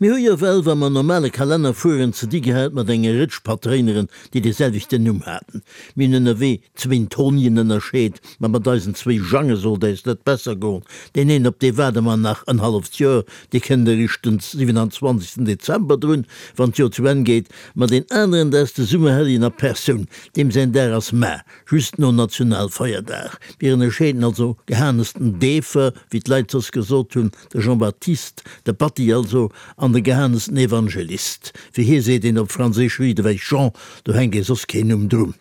Mir hu jo well, wa mer normale Kalenner fueren, ze di gehat mat enger Rëtsch Patréineren, déi dee selwechten Numm haten. Mir hunn ënnerwee zwéin Tonien ënnerscheet, ma mat eisen zwéi Jange sollt äis net besser goen. Deen een, op dee waarde mer nach en halleft Joer, dee kënnt eréischt den 27. Dezember drun, wann d'Joer zu Enn geet, ma deen aneren, dat ass de Summerhelljen a Persoun, deem säin Dag ass mar, just no Nationalfeierdag. Mir ënnerscheeden also Gehanes den Deefer, wéi d'Leit soss gesot hunn, De Jean-Baptiste, de Batty also, an de Gehanes den Evangelist. Fir hie seet een op Franséisch riitewech Jean, do hänkt ee soss keen Numm drun.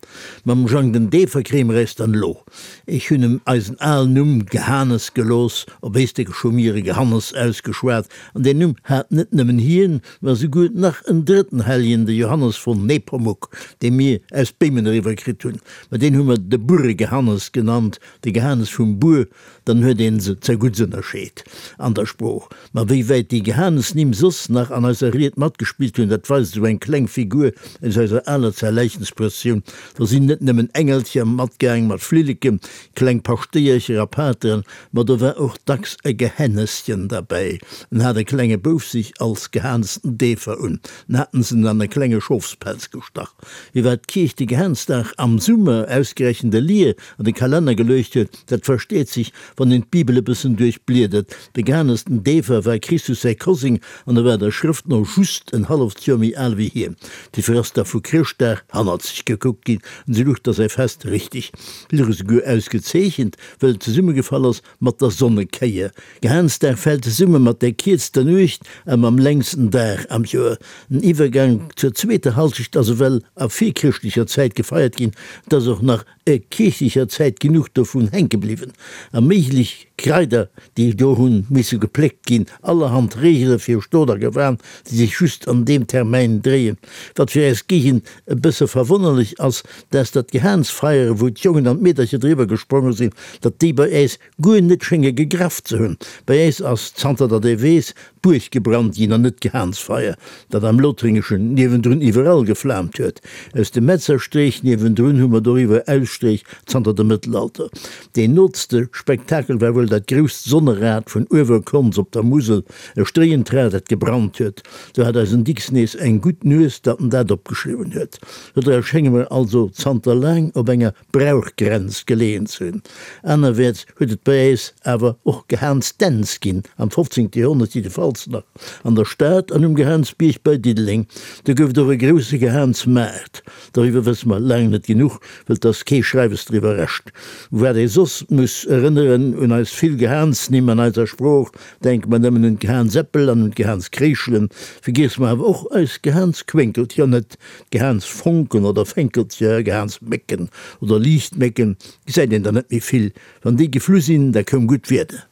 Mam Jang den Deefer kréie mer äis dann elo. Ech hunn em eisen alen Numm Gehanes gelooss, op Éislek hu mir e Gehannes ausgeschwat, an deen Numm hat net nëmmen hien, ma esouguer nach en drëtten Helljen, de Johannes von Nepomuk, dee mir aus Béimen eriwwer kritt hunn. Ma deen hu mer de Burregehannes genannt, de Gehanes vum Bur, Dann huet een se zergutts ënnerscheet an der Sprooch. Ma wéi wäit déi Gehanesnimm soss nach an eiser Ried matgespillt hunn, dat weist esou eng kleng Figur aus eiser aler Zerläichensprëssioun. Do sinn net nëmmen Engelcher matgaang mat Flilleken, kleng Paschtéiercher a Pateren, ma do war och dacks e Gehänneschen derbäi. En hat e klenge Bouf sech als Gehanesten Deefer un, en haten se en an e klenge Schofspelz gestach. Wéi wat d'Kierch de Gehansdag am Summer ausgerechent e Lier an de Kalenner geluecht huet, dat versteet sech, wann een d'Bibel e bëssen duerchbliedert. De Gehanes den Deefer war Christus säi Koseng an e war der Schrëft no just en halleft Joer méi al wéi hien. Dofir ass da vu Chrëschtdag hannerzeg gekuckt ginn an esou luch da säi Fest richteg, luch esouguer ausgezeechent, wëll et zesummegefall ass mat der Sonnekéier. Gehansdag fält zesumme mat der kierzter Nuecht a mam längsten Dag am Joer. Den Iwwergang zur zweeter Halschecht ass ewell a virchrëschtlecher Zäit gefeiert ginn. Et ass och nach e kierchlecher Zäit genuch dovun hänke bliwwen a méiglech Kraider, déi do hunn misse gepléckt ginn, allerhand Reegele fir Stot a Gewan, déi sech just an deem Termäin dréien. Wat fir eis Géigend e bësse verwonnerlech ass, dass dat Gehaansfeiere wou d'Jongen an d'Meedercher driwwer gespronge sinn, datt déi bei äis guer net schénge gegraff ze hunn. Bei äis ass, zanter datt ee weess, d'Buerg gebrannt ginn an net d'Gehaansfeier, dat am Lothringeschen niewendrun iwwerall geflaamt huet. Aus dem Metzerstreech niewendrun hu mer doriwwer Ausstreech zanter dem Mëttelalter. Deen nootste Spektakel war wuel dat grousst Sonnerad vun Uewerkonz op der Musel, e stréiend Rad, dat gebrannt huet. Do hat eisen Dicks nees eng gutt Nues, datt en dat opgeschriwwen huet. Dodra schénge mer also zanter laang op enger Brauchgrenz geleeën ze hunn. Anerwäerts huet et bei äis awer och Gehaansdänz ginn, am 15. Joerhonnert jiddefalls nach an der Stad an um Gehaansbierg bei Diddeleng. Do gouf et och e grousse Gehaansmaart. Doriwwer wësse mer laang net genuch, wëll 't ass kee Schreiwes driwwer rescht. U wat ee soss muss erënneren, un eis vill Gehaansnimm an eiser Sprooch, Denke mer nëmmen un d'Gehaansäppel an un d'Gehaanskréischelen, vergiesse mer awer och eis Gehaansquénkelcher net, d'Gehaansfonken oder Fénkelcher, Gehaansmécken oder Liichtmécken gesäit een der net méi vill. Wann déi geflu sinn, da koum gutt Wieder.